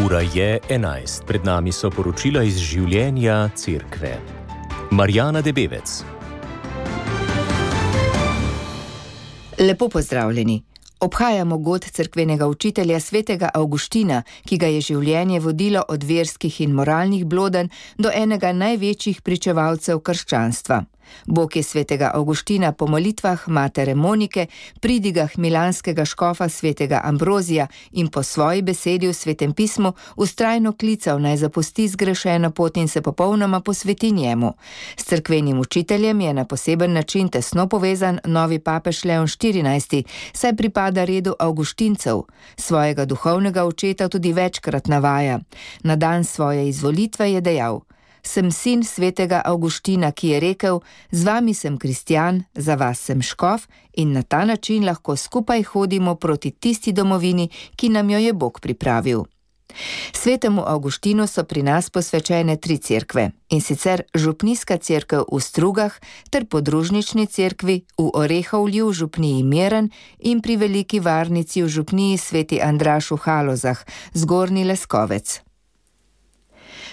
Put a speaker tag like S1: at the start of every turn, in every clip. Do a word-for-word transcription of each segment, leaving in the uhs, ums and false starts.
S1: Ura je enajst, pred nami so poročila iz življenja cerkve. Marjana Debevec.
S2: Lepo pozdravljeni. Obhajamo god cerkvenega učitelja svetega Avguština, ki ga je življenje vodilo od verskih in moralnih blodenj do enega največjih pričevalcev krščanstva. Bog je svetega Avguština po molitvah matere Monike, pridigah milanskega škofa svetega Ambrozija in po svoji besedi v Svetem pismu vztrajno klical naj zapusti zgrešeno pot in se popolnoma posveti njemu. S cerkvenim učiteljem je na poseben način tesno povezan novi papež Leon štirinajsti, saj pripada redu Avguštincev. Svojega duhovnega očeta tudi večkrat navaja. Na dan svoje izvolitve je dejal: Sem sin svetega Avguština, ki je rekel: Z vami sem kristjan, za vas sem škof in na ta način lahko skupaj hodimo proti tisti domovini, ki nam jo je Bog pripravil. Svetemu Avguštinu so pri nas posvečene tri cerkve, in sicer župnijska cerkev v Strugah ter podružnični cerkvi v Orehovlju v župniji Miren in pri Veliki Varnici v župniji Sveti Andraž v Halozah, Zgornji Leskovec.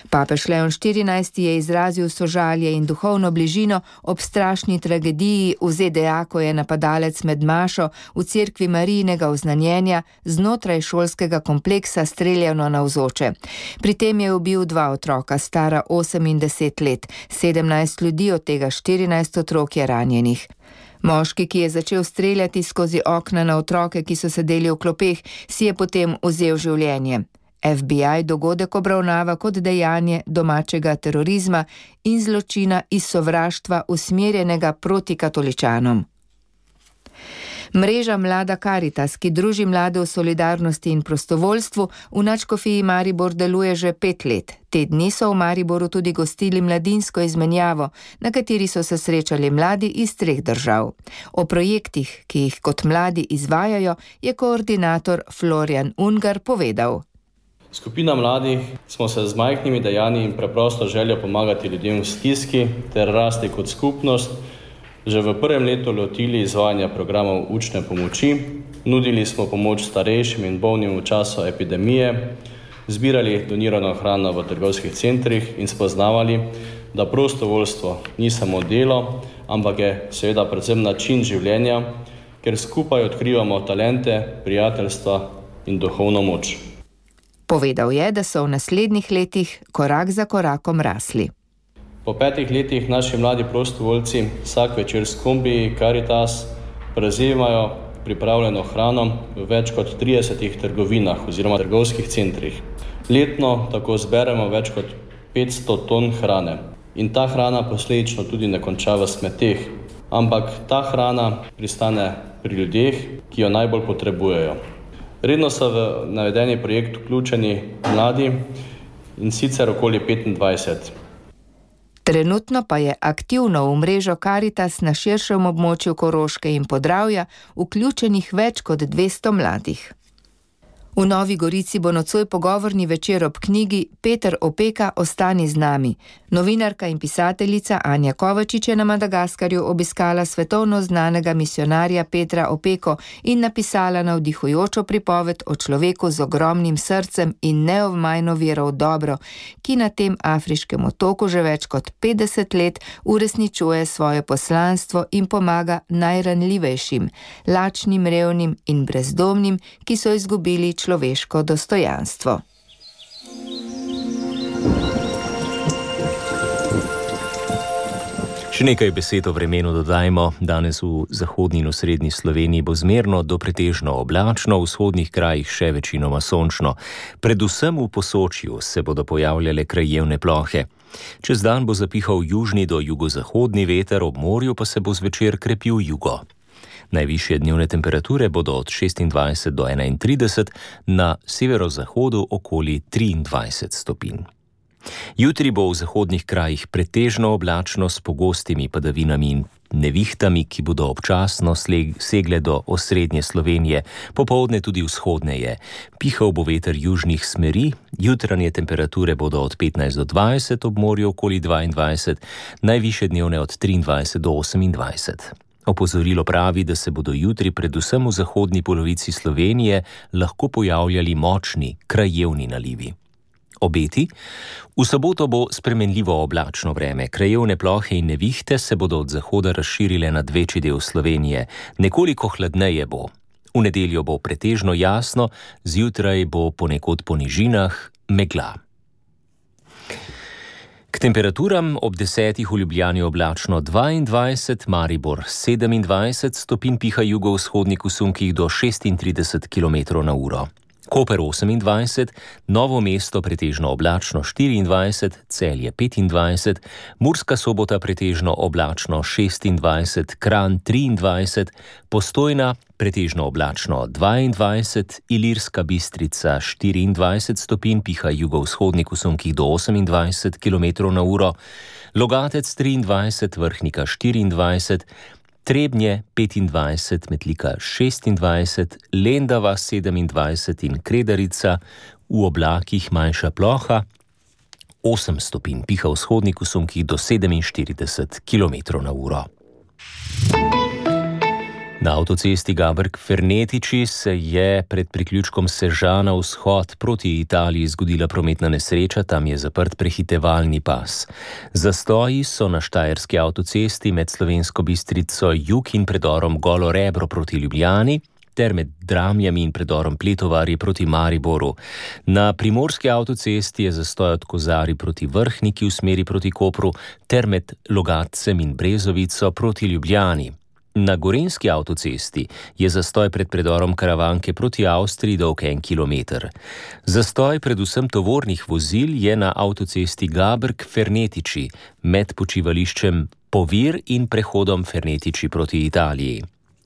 S2: Papež Leon štirinajsti je izrazil sožalje in duhovno bližino ob strašni tragediji v Z D A, ko je napadalec med mašo v cerkvi Marijinega oznanjenja znotraj šolskega kompleksa streljano navzoče. Pri tem je ubil dva otroka, stara osem in deset let, sedemnajst ljudi, od tega štirinajst otrok je ranjenih. Moški, ki je začel streljati skozi okna na otroke, ki so sedeli v klopeh, si je potem vzel življenje. F B I dogodek obravnava kot dejanje domačega terorizma in zločina iz sovraštva usmerjenega proti katoličanom. Mreža Mlada Karitas, ki druži mlade v solidarnosti in prostovoljstvu, v nadškofiji Maribor deluje že pet let. Te dni so v Mariboru tudi gostili mladinsko izmenjavo, na kateri so se srečali mladi iz treh držav. O projektih, ki jih kot mladi izvajajo, je koordinator Florjan Ungar povedal.
S3: Skupina mladih smo se z majhnimi dejanji in preprosto željo pomagati ljudem v stiski ter rasti kot skupnost že v prvem letu lotili izvajanja programov učne pomoči, nudili smo pomoč starejšim in bolnim v času epidemije, zbirali donirano hrano v trgovskih centrih in spoznavali, da prostovoljstvo ni samo delo, ampak je seveda predvsem način življenja, ker skupaj odkrivamo talente, prijateljstva in duhovno moč.
S2: Povedal je, da so v naslednjih letih korak za korakom rasli.
S3: Po petih letih naši mladi prostovoljci vsak večer s kombiji Karitas prevzemajo pripravljeno hrano v več kot tridesetih trgovinah oziroma trgovskih centrih. Letno tako zberemo več kot petsto ton hrane. In ta hrana posledično tudi ne konča v smeteh, ampak ta hrana pristane pri ljudeh, ki jo najbolj potrebujejo. Redno so v navedeni projekt vključeni mladi, in sicer okoli petindvajset.
S2: Trenutno pa je aktivno v mrežo Karitas na širšem območju Koroške in Podravja vključenih več kot dvesto mladih. V Novi Gorici bo nocoj pogovorni večer ob knjigi Peter Opeka Ostani z nami. Novinarka in pisateljica Anja Kovačič je na Madagaskarju obiskala svetovno znanega misionarja Petra Opeko in napisala navdihujočo pripoved o človeku z ogromnim srcem in neomajno vero v dobro, ki na tem afriškem otoku že več kot petdeset let uresničuje svoje poslanstvo in pomaga najranljivejšim, lačnim, revnim in brezdomnim, ki so izgubili človeško dostojanstvo.
S1: Še nekaj besed o vremenu dodajmo. Danes v zahodni in osrednji Sloveniji bo zmerno do pretežno oblačno, v vzhodnih krajih še večinoma sončno. Predvsem v Posočju se bodo pojavljale krajevne plohe. Čez dan bo zapihal južni do jugozahodni veter, ob morju pa se bo zvečer krepil jugo. Najvišje dnevne temperature bodo od šestindvajset do enaintrideset, na severozahodu okoli triindvajset stopinj. Jutri bo v zahodnih krajih pretežno oblačno s pogostimi padavinami in nevihtami, ki bodo občasno segle do osrednje Slovenije, popoldne tudi vzhodneje. Pihal bo veter južnih smeri, jutranje temperature bodo od petnajst do dvajset, ob morju okoli dvaindvajset, najvišje dnevne od triindvajset do osemindvajset. Opozorilo pravi, da se bodo jutri predvsem v zahodni polovici Slovenije lahko pojavljali močni, krajevni nalivi. Obeti? V soboto bo spremenljivo oblačno vreme. Krajevne plohe in nevihte se bodo od zahoda razširile nad večji del Slovenije. Nekoliko hladneje bo. V nedeljo bo pretežno jasno, zjutraj bo ponekod po nižinah megla. K temperaturam ob desetih v Ljubljani oblačno dvaindvajset, Maribor sedemindvajset stopinj, piha jugovzhodnik v sunkih do šestintrideset kilometrov na uro. Koper osemindvajset, Novo mesto pretežno oblačno štiriindvajset, Celje petindvajset, Murska Sobota pretežno oblačno šestindvajset, Kranj triindvajset, Postojna pretežno oblačno dvaindvajset, Ilirska Bistrica štiriindvajset stopinj, piha jugovzhodnik v sunkih do osemindvajset kilometrov na uro, Logatec triindvajset, Vrhnika štiriindvajset, Trebnje petindvajset, Metlika šestindvajset, Lendava sedemindvajset in Kredarica v oblakih manjša ploha osem stopinj, piha vzhodnik v sunkih do sedeminštirideset kilometrov na uro. Na avtocesti Gaberg-Fernetiči se je pred priključkom Sežana vzhod proti Italiji zgodila prometna nesreča, tam je zaprt prehitevalni pas. Zastoji so na štajerski avtocesti med Slovensko Bistrico jug in predorom Golo Rebro proti Ljubljani ter med Dramljami in predorom Pletovarji proti Mariboru. Na primorski avtocesti je zastoj od Kozari proti Vrhniki v smeri proti Kopru ter med Logatcem in Brezovico proti Ljubljani. Na gorenjski avtocesti je zastoj pred predorom Karavanke proti Avstriji dolg en kilometer. Zastoj predvsem tovornih vozil je na avtocesti Gaberg-Fernetiči med počivališčem Povir in prehodom Fernetiči proti Italiji.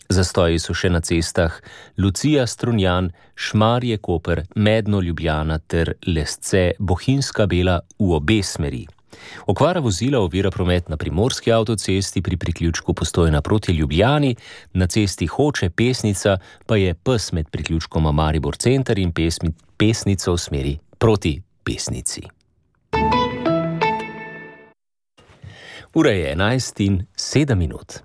S1: Zastoji so še na cestah Lucija-Strunjan, Šmarje-Koper, Medno-Ljubljana ter Lesce-Bohinjska Bela v obe smeri. Okvara vozila ovira promet na primorski avtocesti pri priključku Postojna proti Ljubljani, na cesti Hoče-Pesnica pa je pes med priključkoma Maribor center in pesmi, Pesnico v smeri proti Pesnici. Ura je enajst in sedem minut.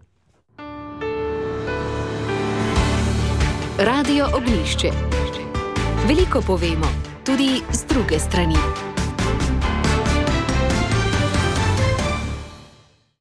S4: Radio Ognjišče. Veliko povemo, tudi z druge strani.